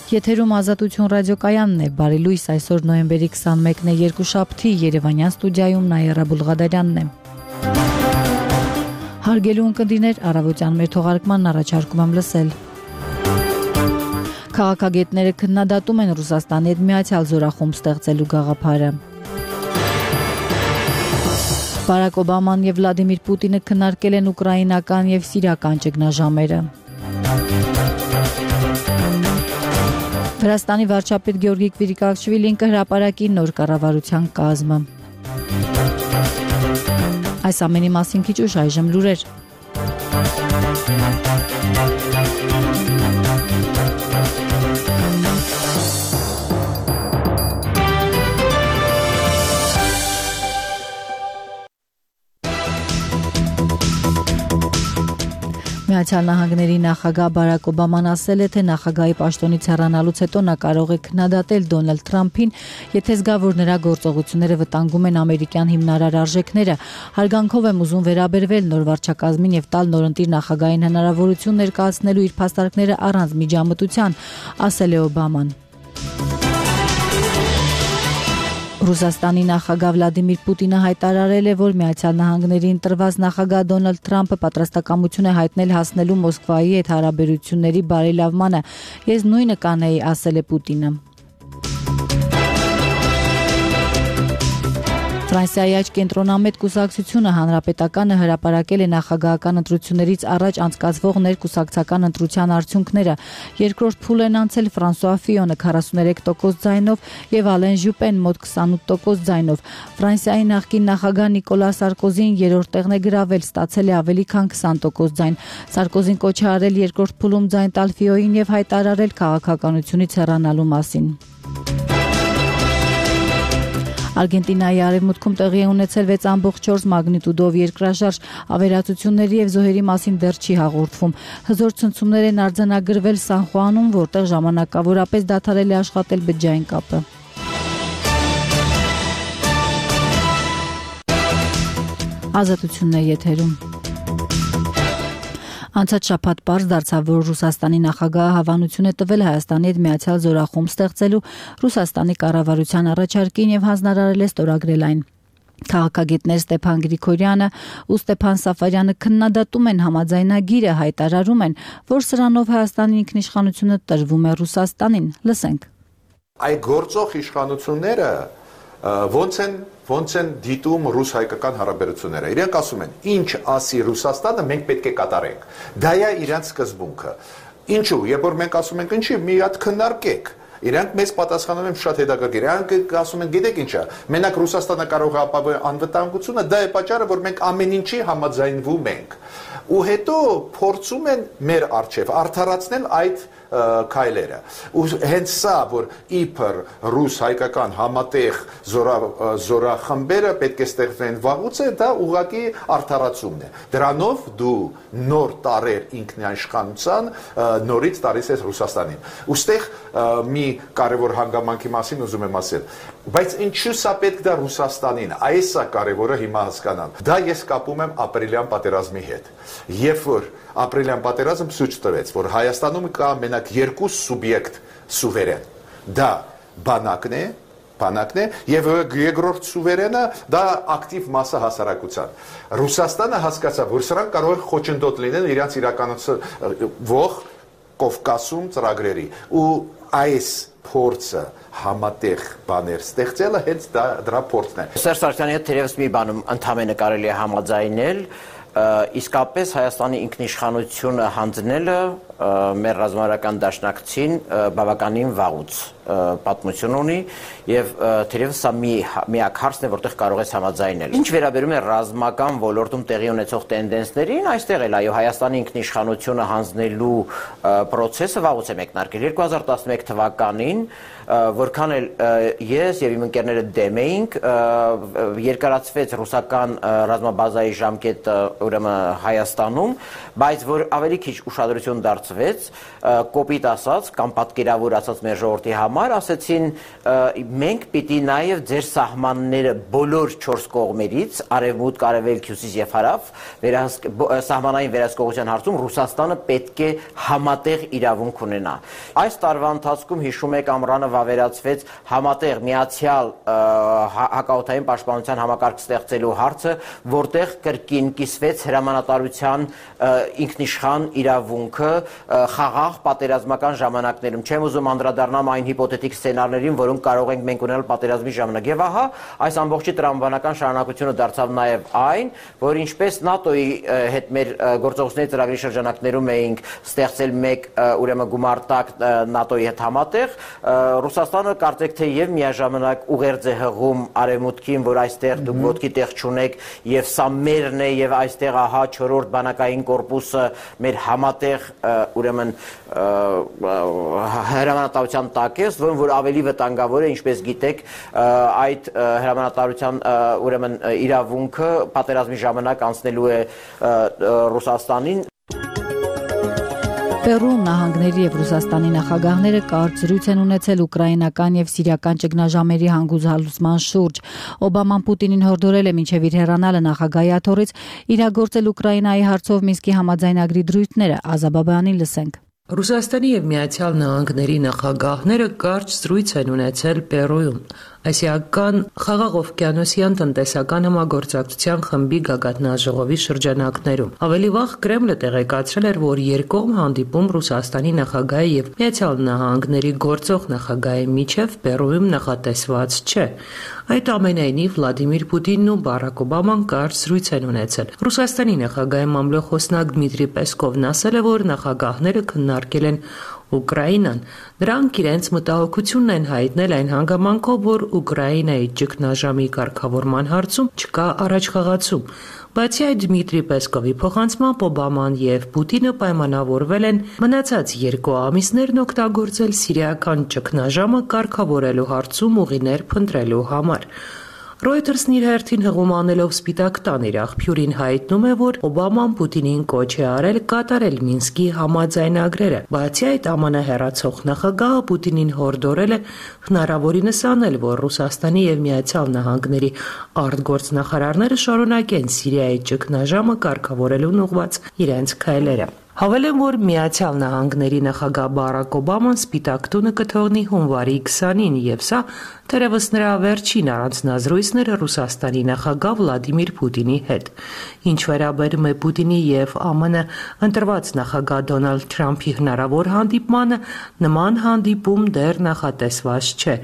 Եթերում Ազատություն ռադիոկայանն է, բարի լույս, այսօր նոյեմբերի 21-ն է, երկուշաբթի, Երևանյան ստուդիայում Նաիրա Բուլղադարյանն է։ Հարգելի ունկնդիրներ, առավոտյան մեր թողարկմանն առաջարկում եմ լսել։ Քաղաքագետները քննադատում են Ռուսաստանի հետ միացյալ զորախումբ ստեղծելու գաղափարը։ Բարակ Օբաման եւ Վլադիմիր Պուտինը քննարկել են ուկրաինական եւ սիրիական ճգնաժամերը։ Վրաստանի վարչապետ Գեորգի Կվիրիկակաշվիլին կհրապարակի նոր կառավարության կազմը։ Այս ամենի մասին քիչ ուշ այժմ լուրեր։ Միացյալ Նահանգների նախագահ Բարակ Օբաման ասել է, թե նախագահի պաշտոնից հեռանալուց հետո նա կարող է քննադատել Դոնալդ Թրամփին, եթե զգա, որ նրա գործողությունները վտանգում են ամերիկյան հիմնարար արժեքները։ Հարգանքով եմ ուզում վերաբերվել նոր վարչակազմին եւ տալ նորընտիր նախագահային հնարավորություն ներկայացնելու իր փաստարկները առանց միջամտության, ասել է Օբաման։ Ռուսաստանի նախագահ Վլադիմիր Պուտինը հայտարարել է, որ Միացյալ Նահանգների ընտրված նախագահ Դոնալդ Թրամփը պատրաստակամություն է հայտնել հասնելու Մոսկվայի հետ հարաբերությունների բարելավմանը։ Ես նույնը կանեի, ասել է Պուտինը։ Ֆրանսիայի աջ կենտրոնամետ կուսակցությունը հանրապետականը հրապարակել է նախագահական ընտրություններից առաջ անցկացվող ներկուսակցական ընտրության արդյունքները։ Երկրորդ փուլ են անցել Ֆրանսուଆ Ֆիոնը 43% ձայնով եւ Ալեն Ժուպեն մոտ 28% ձայնով։ Ֆրանսիայի նախկին նախագահ Նիկոլա Սարկոզին երրորդ տեղն է գրավել, ստացել է ավելի քան 20% ձայն։ Սարկոզին կոչ է արել երկրորդ փուլում ձայն տալ Ֆիոյին եւ հայտարարել քաղաքականությունից հեռանալու մասին։ Արգենտինայի արևմուտքում տեղի է ունեցել 6.4 մագնիտուդով երկրաշարժ, ավերածությունների եւ զոհերի մասին դեռ չի հաղորդվում։ Հզոր ցնցումներ են արձանագրվել Սան Խուանում, որտեղ ժամանակավորապես դադարել է աշխատել բջջային կապը։ Ազատությունն է եթերում։ Անցած շաբաթ պարզ դարձավ, որ Ռուսաստանի նախագահը հավանություն է տվել Հայաստանի հետ միացյալ զորախումբ ստեղծելու Ռուսաստանի կառավարության առաջարկին եւ հանձնարարել է ստորագրել այն։ Քաղաքագետներ Ստեփան Գրիգորյանը ու Ստեփան Սաֆարյանը քննադատում են համաձայնագիրը, հայտարարում են, որ սրանով Հայաստանի ինքնիշխանությունը տրվում է Ռուսաստանին։ Լսենք։ Այդ գործող իշխանությունները ոնց են դիտում ռուս-հայկական հարաբերությունները։ Իրենք ասում են, ինչ ասի Ռուսաստանը, մենք պետք է կատարենք։ Դա է իրենց սկզբունքը։ Ինչու, երբ որ մենք ասում ենք ինչի, մի հատ քննարկեք։ Իրանք մեզ պատասխանում են շատ հետաքրքիր։ Իրանք ասում են, գիտեք ինչա, մենակ Ռուսաստանը կարող է ապահովել անվտանգությունը, դա է պատճառը, որ մենք ամեն ինչի համաձայնվում ենք։ Ու հետո փորձում են մեր առջև արդարացնել այդ քայլերը։ Ու հենց սա, որ իբր ռուս-հայկական համատեղ զորախմբերը պետք է ստեղծվեն վաղուց է, դա ուղղակի արդարացումն է։ Դրանով դու նոր տարեր ինքնիշխանության նորից տալիս ես Ռուսաստանին։ Ոստեղ մի կարևոր հանգամանքի մասին ուզում եմ ասել, բայց ինչու սա պետք դա Ռուսաստանին, այս է կարևորը հիմա հասկանալ։ Դա ես կապում եմ ապրիլյան պատերազմի հետ։ Երբ որ ապրիլյան պատերազմը ցույց տվեց, որ Հայաստանում կա մենակ երկու սուբյեկտ սուվերեն։ Դա բանակն է եւ երկրորդ սուվերենը դա ակտիվ մասը հասարակության։ Ռուսաստանը հասկացավ, որ սրանք կարող են խոչընդոտ լինել իրենց իրականացվող Կովկասում ծրագրերի ու այս փորձը համատեղ բաներ ստեղծելը հենց դրա փորձն է։ Սերժ Սարգսյանի հետ թերևս մի բանում ընդհանրապես կարելի է համաձայնել, իսկապես Հայաստանի ինքնիշխանությունը հանձնելը մեր ռազմավարական դաշնակցին բավականին վաղուց պատմություն ունի եւ թերևս սա միակ հարցն է, որտեղ կարող ես համաձայնել։ Ինչ վերաբերում է ռազմական ոլորտում տեղի ունեցող տենդենսներին, այստեղ էլ այո Հայաստանի ինքնիշխանությունը հանձնելու process-ը վաղուց է մեկնարկել 2011 թվականին, որքան էլ ես եւ իմ ընկերները դեմ էինք, երկարացվեց ռուսական ռազմաբազայի ժամկետը ուրեմն Հայաստանում, բայց որ ավելի քիչ ուշադրություն դարձվեց, կոպիտ ասած կամ պատկերավոր ասած մեր ժողովրդի համար համար ասեցին մենք պիտի նաև ձեր սահմանները բոլոր 4 կողմերից արևմուտք, արևելք, հյուսիս եւ հարավ սահմանային վերահսկողության հարցում Ռուսաստանը պետք է համատեղ իրավունք ունենա։ Այս տարվա ընթացքում հիշում եք ամռանը վավերացվեց համատեղ միացյալ հակաօդային պաշտպանության համակարգ ստեղծելու հարցը, որտեղ կրկին կիսվեց հրամանատարության ինքնիշխան իրավունքը խաղաղ պատերազմական ժամանակներում։ Չեմ ուզում անդրադառնամ այն հիպոթետիկ սցենարներին, որոնք կարող ենք մենք ունենալ պատերազմի ժամանակ։ Եվ ահա այս ամբողջի տրամաբանական շարունակությունը դարձավ նաև այն, որ ինչպես ՆԱՏՕ-ի հետ մեր գործողությունների ծրագրի շրջանակներում էինք ստեղծել մեկ ուրեմն գումարտակ ՆԱՏՕ-ի հետ համատեղ, Ռուսաստանը կարծեք թե եւ միաժամանակ ուղերձ է հղում արևմուտքին, որ այստեղ դուք ոտքի տեղ չունեք եւ սա մերն է եւ այստեղ ահա 4-րդ բանակային կորպուսը մեր համատեղ ուրեմն հրամանատարության տակ է, որ ավելի վտանգավոր է, ինչպես գիտեք, այդ հրամանատարության ուրեմն իրավունքը պատերազմի ժամանակ անցնելու է Ռուսաստանին։ Պերուում նահանգների եւ Ռուսաստանի նախագահները կարճ զրույց են ունեցել ուկրաինական եւ սիրիական ճգնաժամերի հանգուցալուծման շուրջ։ Օբաման Պուտինին հորդորել է մինչեւ իր հեռանալը նախագահի աթոռից իրագործել Ուկրաինայի հարցով Մինսկի համաձայնագրի դրույթները։ Ազաբաբյանին լսենք։ Ռուսաստանի եւ Միացյալ Նահանգների նախագահները կարճ զրույց են ունեցել Պերուում։ Ասիական խաղաղ օվկիանոսյան տնտեսական համագործակցության խմբի գագաթնաժողովի շրջանակներում։ Ավելի վաղ Կրեմլը տեղեկացրել էր, որ երկկողմ հանդիպում Ռուսաստանի նախագահի եւ Միացյալ Նահանգների գործող նախագահի միջև Պերուում նախատեսված չէ։ Այդ ամենայնիվ Վլադիմիր Պուտինն ու Բարակ Օբաման կարճ զրույց են ունեցել։ Ռուսաստանի նախագահի մամլոխոսնակ Դմիտրի Պեսկովն ասել է, որ նախագահները քննարկել են Ուկրաինան։ Նրանք իրենց մտահոգությունն են հայտնել այն հանգամանքով, որ Ուկրաինայի ճգնաժամի կարգավորման հարցում չկա առաջխաղացում։ Բացի այդ, Դմիտրի Պեսկովի փոխանցմամբ Օբաման եւ Պուտինը պայմանավորվել են մնացած 2 ամիսներն օգտագործել սիրիական ճգնաժամը կարգավորելու հարցում ուղիներ փնտրելու համար։ Reuters-ն իր հերթին հղում անելով Սպիտակ տան իր աղբյուրին հայտնում է, որ Օբաման Պուտինին կոչ է արել կատարել Մինսկի համաձայնագրերը։ Բացի այդ, ԱՄՆ հեռացող նախագահը Պուտինին հորդորել է հնարավորինս անել, որ Ռուսաստանի եւ Միացյալ Նահանգների արտգործնախարարները շարունակեն Սիրիայի ճգնաժամը կարգավորելուն ուղղված իրենց քայլերը։ Հավելեմ, որ Միացյալ Նահանգների նախագահ Բարակ Օբաման Սպիտակ տունը կթողնի հունվարի 20-ին եւ սա թերևս նրա վերջին առանձնազրույցն էր Ռուսաստանի նախագահ Վլադիմիր Պուտինի հետ։ Ինչ վերաբերում է Պուտինի եւ ԱՄՆ ընտրված նախագահ Դոնալդ Թրամփի հնարավոր հանդիպմանը, նման հանդիպում դեռ նախատեսված չէ։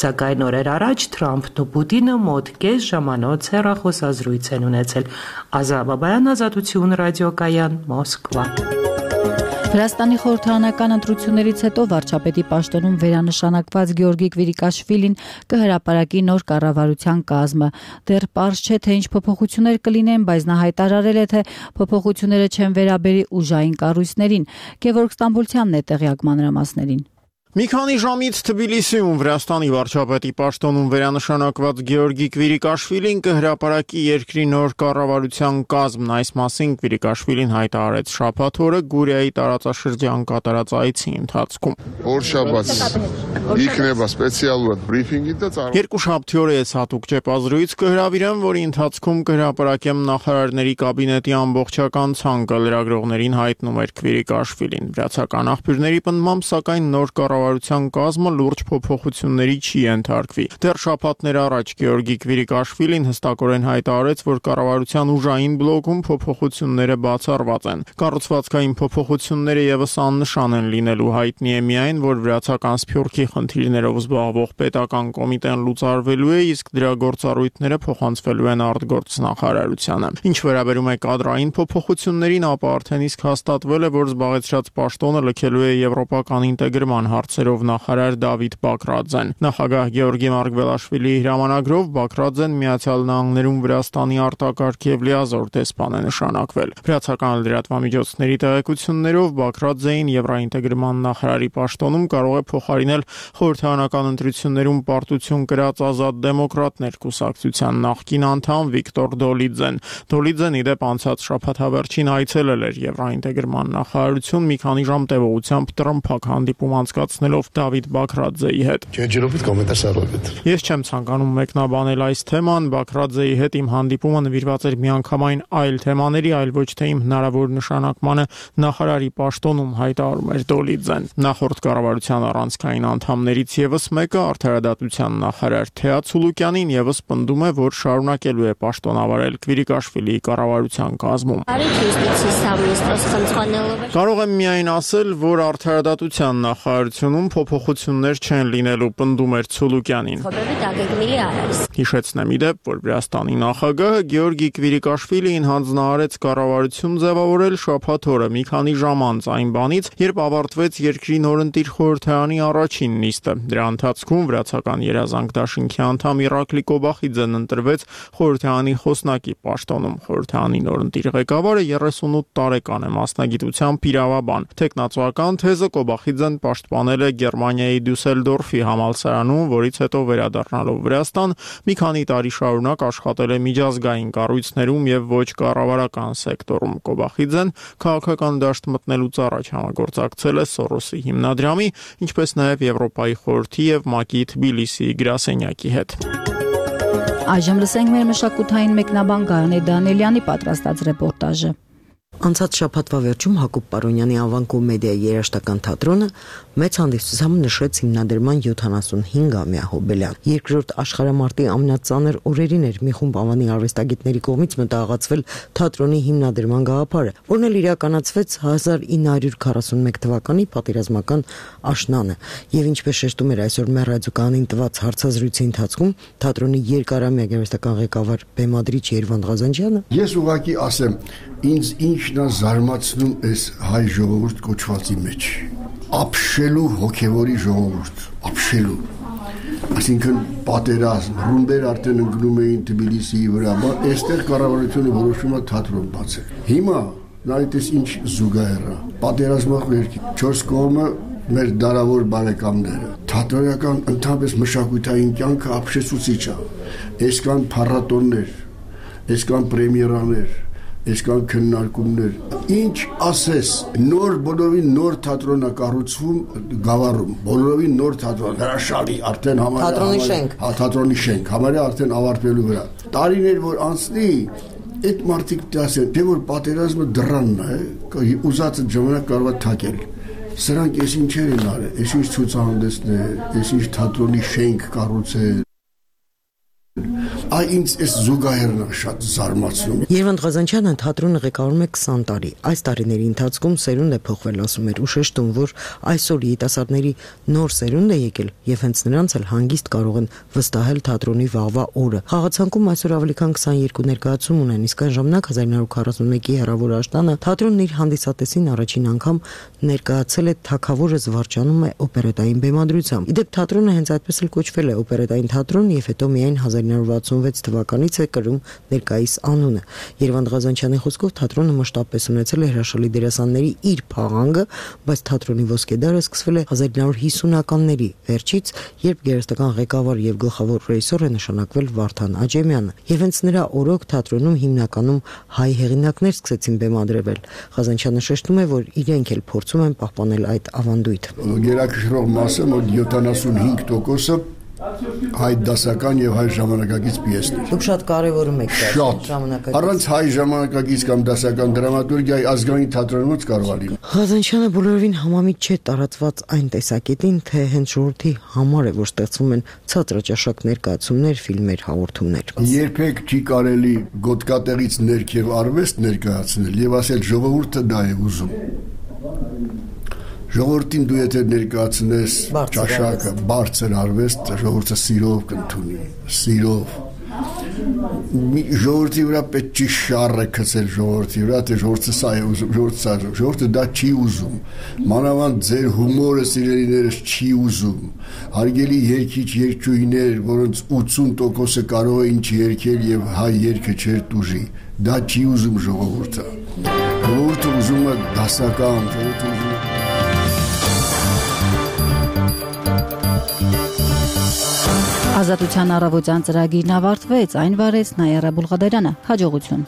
Սակայն օրեր առաջ Թրամփն ու Պուտինը մոտ կես ժամանոց հեռախոսազրույց են ունեցել։ Ազաբաբայան, Ազատություն, ռադիոկայան, Մոսկվա։ Վրաստանի խորհրդարանական ընտրություններից հետո վարչապետի պաշտոնում վերանշանակված Գեորգի Կվիրիկաշվիլին կհրապարակի նոր կառավարության կազմը։ Դեռ պարզ չէ, թե ինչ փոփոխություններ կլինեն, բայց նա հայտարարել է, թե փոփոխությունները չեն վերաբերի ուժային կառույցներին։ Գևորգ Ստամբոլցյանն է տեղյակ մանրամասներին։ Մի քանի ժամից Թբիլիսիում Վրաստանի վարչապետի պաշտոնում վերանշանակված Գեորգի Կվիրիկաշվիլին կհրապարակի երկրի նոր կառավարության կազմն։ Այս մասին Կվիրիկաշվիլին հայտարարեց շաբաթ օրը Գուրիայի տարածաշրջան կատարած այցի ընթացքում։ Երկուշաբթի օրը ես հատուկ ճեպազրույց կհրավիրեմ, որի ընթացքում կհրապարակեմ նախարարների կաբինետի ամբողջական ցանկը, լրագրողներին հայտնում էր Կվիրիկաշվիլին։ Վրացական աղբյուրների պնդմամբ, սակայն նոր կառավարության կազմը լուրջ փոփոխությունների չի ենթարկվի։ Դեռ շաբաթներ առաջ Գեորգի Կվիրիկաշվիլին հստակորեն հայտարարեց, որ կառավարության ուժային բլոկում փոփոխությունները բացառված են։ Կառուցվածքային փոփոխությունները եւս աննշան են լինելու։ Հայտնի է միայն, որ վրացական սփյուռքի խնդիրներով զբաղվող պետական կոմիտեն լուծարվելու է, իսկ դրա գործառույթները փոխանցվելու են արտգործնախարարությանը։ Ինչ վերաբերում է կադրային փոփոխություններին, ապա արդեն իսկ հաստատվել է, որ զբաղեցրած պաշտոնը լքելու է եվրոպական ինտեգրման հարցերով նախարար Դավիթ Բակրաձեն։ Նախագահ Գեորգի Մարգվելաշվիլիի հրամանագրով Բակրաձեն Միացյալ Նահանգներում Վրաստանի արտակարգ եւ լիազոր դեսպան է նշանակվել։ Վրացական լրատվամիջոցների տեղեկություններով Բակրաձեին եվրոինտեգրման նախարարի պաշտոնում կարող է փոխարինել խորհրդարանական ընտրություններում պարտություն կրած Ազատ դեմոկրատներ կուսակցության նախկին անդամ Վիկտոր Դոլիձեն։ Դոլիձեն իդեպ անցած շաբաթավերջին այցելել էր եվրոինտեգրման նախարարություն մի քանի ժամ տևողությամբ տրմփակ հանդիպում անցկացնելու զրուցնելով Դավիթ Բաքրաձեի հետ։ Ես չեմ ցանկանում մեկնաբանել այս թեման, Բաքրաձեի հետ իմ հանդիպումը նվիրված էր միանգամայն այլ թեմաների, այլ ոչ թե իմ հնարավոր նշանակմանը նախարարի պաշտոնում, հայտարարում էր Դոլիձեն։ Նախորդ կառավարության առանցքային անդամներից եւս մեկը արդարադատության նախարար Թեա Ցուլուկյանին եւս պնդում է, որ շարունակելու է պաշտոնավարել Քվիրիկաշվիլիի կառավարության կազմում։ Կարող եմ միայն ասել, որ արդարադատության նախարարությունում փոփոխություններ չեն լինելու, պնդում էր Ցուլուկյանին։ Հիշեցնեմ իդեպ, որ Վրաստանի նախագահը Գեորգի Քվիրիկաշվիլիին հանձնարարեց կառավարություն ձևավորել շաբաթ օրը մի քանի ժամ անց այն բանից, երբ ավարտվեց երկրի նորընտիր խորհրդարանի առաջին նիստը։ Դրա ընթացքում վրացական երազանք դաշինքի անդամ Իրակլի Կոբախիձեն ընտրվեց խորհրդարանի խոսնակի պաշտոնում։ Խորհրդարանի նորընտիր ղեկավարը 38 տարեկան է, մասնագիտությամբ իրավաբան։ Տեխնացուական թեզը Կոբախիձեն պաշտպանել է Գերմանիայի Դյուսելդորֆի համալսարանում, որից հետո վերադառնալով Վրաստան մի քանի տարի շարունակ աշխատել է միջազգային կառույցներում եւ ոչ կառավարական սեկտորում։ Կոբախիձեն քաղաքական դաշտ մտնելուց առաջ համագործակցել է Սորոսի հիմնադրամի, ինչպես նաեւ Եվրոպայի խորհրդի եւ ՄԱԿ-ի Թբիլիսիի գրասենյակի հետ։ Այժմ լսենք մեր մշակութային մեկնաբան Գայանե Դանիելյանի պատրաստած ռեպորտաժը։ Անցած շաբաթվա վերջում Հակոբ Պարոնյանի անվան կոմեդիայի երաժշտական թատրոնը մեծ հանդիսությամբ նշեց հիմնադրման 75-ամյա հոբելյան։ Երկրորդ աշխարհամարտի ամենածանր օրերին էր մի խումբ ավանի արվեստագետների կողմից մտահղացվել թատրոնի հիմնադրման գաղափարը, որն էլ իրականացվեց 1941 թվականի պատերազմական աշնանը։ Եվ ինչպես շեշտում էր այսօր մեր ռադիոկայանին տված հարցազրույցի ընթացքում թատրոնի երկարամյա գեղեցկական ղեկավար բեմադրիչ Երվանդ Ղազանջյանը, ես ուղղակի ասեմ, ինձ ինչն է զարմացնում այս հայ ժողովուրդ կոչվածի մեջ, ապշելու հոգևորի ժողովուրդ, ապշելու, այսինքն պատերազմ, ռումբեր արդեն ընկնում էին Թբիլիսիի վրա, բայց այստեղ կառավարությունը որոշում է թատրոն բացել։ Հիմա նայեք ինչ զուգահեռ է, պատերազմախորհրդի 4 կողմը մեր դարավոր բարեկամները, թատրոնական ընդհանրապես մշակութային կյանքը ապշեցուցիչ է, այսքան փառատոններ, այսքան պրեմիերաներ, այսքան քննարկումներ, ինչ ասես, նոր բոլորին նոր թատրոն է կառուցվում Գավառում, բոլորին նոր թատրոն, հրաշալի, արդեն համարյա թատրոնի շենք, թատրոնի շենք, համարյա արդեն ավարտվելու վրա։ Տարիներ որ անցնի, այդ մարդիկ դասեն, թե որ պատերազմը դրանն է, ուզածը ժամանակ կարող է թակել։ Սրանք էս ինչեր են արել, էս ինչ ցուցահանդեսներ, էս ինչ թատրոնի շենք կառուցել։ Այ ինձ այս զուգահեռն շատ զարմացնում։ Երվանդ Ղազանջյանը թատրոնը ղեկավարում է 20 տարի։ Այս տարիների ընթացքում սերունդ է փոխվել, ասում էր, ու շեշտում, որ այսօր երիտասարդների նոր սերունդ է եկել եւ հենց նրանց էլ հանգիստ կարող են վստահել թատրոնի վաղվա օրը։ Խաղացանկում այսօր ավելի քան 22 ներկայացում ունեն, իսկ այն ժամանակ 1941-ի հեռավոր աշտանը թատրոնն իր հանդիսատեսին առաջին անգամ ներկայացել է Թագավորը զվարճանում է օպերետային բեմադրությամբ։ Իդեպ թատրոնը հենց այդպես էլ կոչվել է օպերետային թատրոն եւ հետո միայն 1966 թվականից է կրում ներկայիս անունը։ Երվանդ Ղազանջյանի խոսքով թատրոնը մշտապես ունեցել է հրաշալի դերասանների իր փաղանգը, բայց թատրոնի ոսկեդարը սկսվել է 1950-ականների վերջից, երբ գեղեցկական ղեկավար եւ գլխավոր ռեժիսոր է նշանակվել Վարդան Աջեմյանը։ Եվ հենց նրա օրոք թատրոնում հիմնականում հայ հեղինակներ սկսեցին բեմադրվել։ Ղազանջյանը շեշտում է, որ իրենք էլ փորձում են պահպանել այդ ավանդույթը։ Գերակշռող մասը մոտ 75% հայ դասական եւ հայ ժամանակակից պիեսներ։ Դուք շատ կարևորում եք ժամանակակից։ Առանց հայ ժամանակակից կամ դասական դրամատուրգիայի ազգային թատրոնից կարող է լինել։ Ղազանջյանը բոլորովին համամիտ չէ տարածված այն տեսակետին, թե հենց ժողովրդի համար է, որ ստեղծվում են ցածրաճաշակ ներկայացումներ, ֆիլմեր, հաղորդումներ։ Երբեք չի կարելի գոտկատեղից ներքև արվեստ ներկայացնել եւ ասել ժողովուրդը դա է ուզում։ Ժողովրդին դու եթե ներկայացնես ճաշակը, բարձր արվեստ, ժողովուրդը սիրով կընդունի, սիրով։ Ժողովրդի վրա պետք չի շառը գցել ժողովրդի վրա, թե ժողովուրդը սա է ուզում, ժողովուրդը դա չի ուզում։ Մանավանդ ձեր հումորը սիրելիներս չի ուզում։ Հարգելի երգիչ երգչուհիներ, որոնց 80%-ը կարող է ինչ երգել եւ հայ երգը չէր տուժի, դա չի ուզում ժողովուրդը։ Ժողովուրդը ուզում է դասական, ժողովուրդը ուզում է Ազատության առավոտյան ծրագիրն ավարտվեց, այն վարեց Նայերա Բուլղադարյանը, հաջողություն։